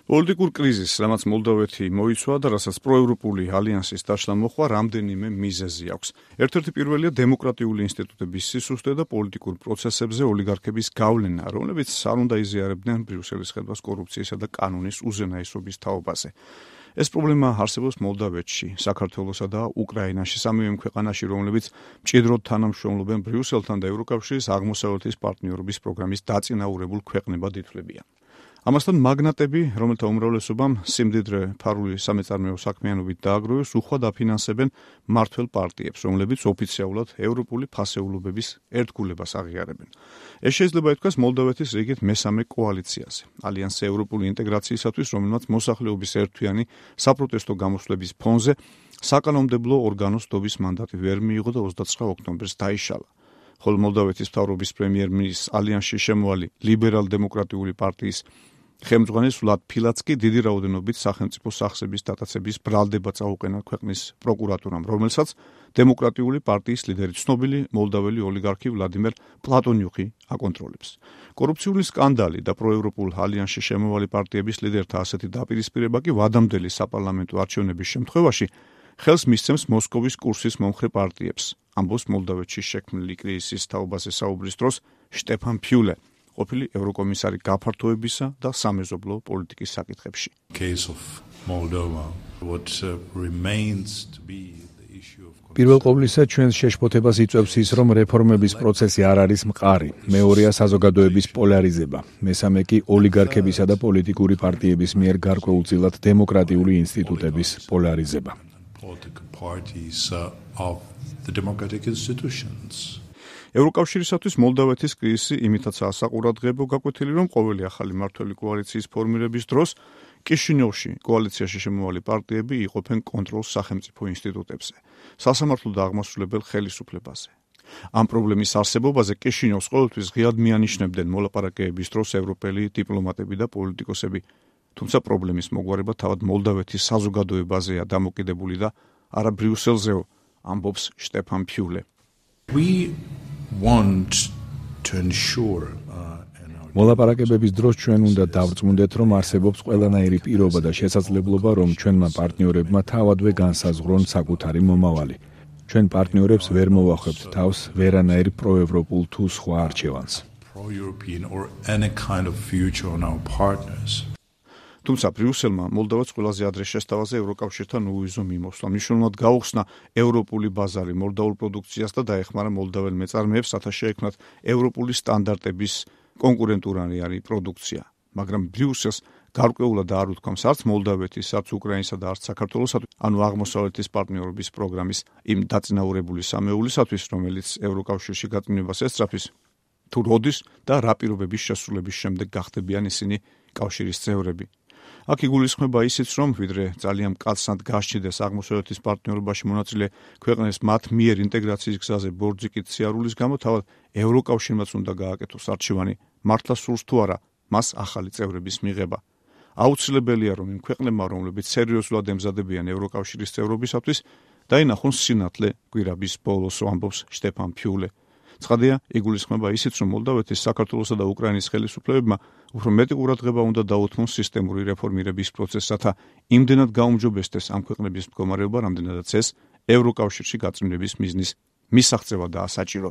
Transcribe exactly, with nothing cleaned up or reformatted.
პოლიტიკურ კრიზისს, რამაც მოლდოვეთი მოიცვა და რასაც პროევროპული ალიანსის დაშლა მოხდა, რამდენიმე მიზეზი აქვს. ერთ-ერთი პირველია დემოკრატიული ინსტიტუტების სისუსტე და პოლიტიკურ პროცესებზე ოლიგარქების გავლენა, რომლებიც არ უნდა იზიარებდნენ ბრიუსელის ხედვას კორუფციისა და კანონის უზენაესობის თაობაზე. ეს პრობლემა არსებობს მოლდოვეთში, საქართველოსა და უკრაინაში, სამივე ქვეყანაში, რომლებიც მჭიდროდ თანამშრომლობენ ბრიუსელთან და ევროკავშირის აღმოსავლეთის პარტნიორობის პროგრამის დაწინაურებულ ქვეყნებად ითვლებიან. ამასთან მაგნატები, რომელთა უმრავლესობამ სიმდიდრე ფარული სამეწარმეო საქმიანობით დააგროვეს, უხვად აფინანსებენ მმართველ პარტიებს, რომლებიც ოფიციალურად ევროპული ფასეულობების ერთგულებას აღიარებენ. ეს შეიძლება ითქვას მოლდოვეთის რიგით მესამე კოალიციაზე. ალიანსი ევროპული ინტეგრაციისათვის, რომელმაც მოსახლეობის ერთთვიანი საპროტესტო გამოსვლების ფონზე საკანონმდებლო ორგანოს დობის მანდატი ვერ მიიღო და ოცდაცხრა ოქტომბერს დაიშალა. ხოლო მოლდოვეთის მთავრობის პრემიერ-მინისტრის ალიანსში შემოვალი ლიბერალ-დემოკრატიული პარტიის ხელმძღვანელი ვლად ფილაცკი დიდი რაოდენობით სახელმწიფო სახსების დატაცების ბრალდება წაუყენა ქვეყნის პროკურატურამ, რომელსაც დემოკრატიული პარტიის ლიდერი ცნობილი მოლდოველი ოლიგარქი ვლადიმერ პლატონიუხი აკონტროლებს. კორუფციული სკანდალი და პროევროპულ ალიანსში შემოვალი პარტიების ლიდერთა ასეთი დაპირისპირება კი ვადამდელი საპარლამენტო არჩევნების შემთხვევაში ხელს მისცემს მოსკოვის კურსის მომხრე პარტიებს, ამბობს მოლდოვეთში შექმნილი კრიზისის თაობაზე საუბრის დროს შტეფან ფიულე, ყოფილი ევროკომისარი გაფართოებისა და სამეზობლო პოლიტიკის საკითხებში. პირველ ყოვლისა ჩვენს შეშფოთებას იწვევს ის, რომ რეფორმების პროცესი არ არის მყარი. მეორეა საზოგადოების პოლარიზება. მესამე კი ოლიგარქებისა და პოლიტიკური პარტიების მიერ გარკვეულწილად დემოკრატიული ინსტიტუტების პოლარიზება. ევროკავშირისათვის მოლდოვეთის კრიზისი იმითაცაა საყურადღებო გაკვეთილი, რომ ყოველი ახალი მმართველი კოალიციის ფორმირების დროს კიშინიოვში კოალიციაში შემოვალი პარტიები იყოფენ კონტროლს სახელმწიფო ინსტიტუტებზე, სასამართლო და აღმასრულებელ ხელისუფლებაზე. ამ პრობლემის არსებობაზე კიშინიოვს ყოველთვის ღიად მიანიშნებდნენ მოლაპარაკებების დროს ევროპელი დიპლომატები და პოლიტიკოსები, თუმცა პრობლემის მოგვარება თავად მოლდოვეთის საზოგადოებაზეა დამოკიდებული და არა ბრიუსელზეო, ამბობს შტეფან ფიულე. მოლაპარაკებების დროს ჩვენ უნდა დავწმუნდეთ, რომ არსებობს ყველანაირი პირობა და შესაძლებლობა, რომ ჩვენმა პარტნიორებმა თავადვე განსაზღვრონ საკუთარი მომავალი. ჩვენ პარტნიორებს ვერ მოვახვებთ თავს ვერანაირ პროევროპულ თუ სხვა არჩევანს. თუმცა ბრიუსელმა მოლდოვას ყველაზე ადრე შესთავაზე ევროკავშირთან უვიზო მიმოსვლა. მნიშვნელოვნად გაუხსნა ევროპული ბაზარი მოლდოულ პროდუქციას და დაეხმარა მოლდოელ მეწარმეებს, რათა შეექმნათ ევროპული სტანდარტების კონკურენტულარი პროდუქცია. მაგრამ ბრიუსელს გარკვეულად არ უთქვამს არც მოლდოვეთის, არც უკრაინისა და არც საქართველოსათვის, ანუ აღმოსავლეთის პარტნიორობის პროგრამის იმ დაწინაურებული სამეულისათვის, რომელიც ევროკავშირში გაწმენდებას ესწრაფის, თუ როდის და რა პირობების შესრულების შემდეგ გახდებიან ისინი კავშირის წევრები. აქ იგულისხმება ისიც, რომ ვიდრე ძალიან მკაცრად გასჭიდეს აღმოსავლეთის პარტნიორობაში მონაწილე ქვეყნებს მათ მიერ ინტეგრაციის გზაზე ბორძიკით სიარულის გამო, თავად ევროკავშირმაც უნდა გააკეთოს არჩევანი, მართლა სურს თუ არა მას ახალი წევრების მიღება. აუცილებელია, რომ იმ ქვეყნებმა, რომლებიც სერიოზულად ემზადებიან ევროკავშირის წევრობისათვის, დაინახონ სინათლე კვირაბის ბოლოს, ამბობს შტეფან ფიულე. ცხადია, იგულისხმება ისიც, რომ მოლდოვეთის, საქართველოსა და უკრაინის ხელისუფლებებმა უფრო მეტი ყურადღება უნდა დაუთმონ სისტემური რეფორმირების პროცესს, რათა იმდენად გაუმჯობესდეს ამ ქვეყნების მდგომარეობა, რამდენადაც ეს ევროკავშირში გაწმენდების მიზნის მისაღწევადაა საჭირო.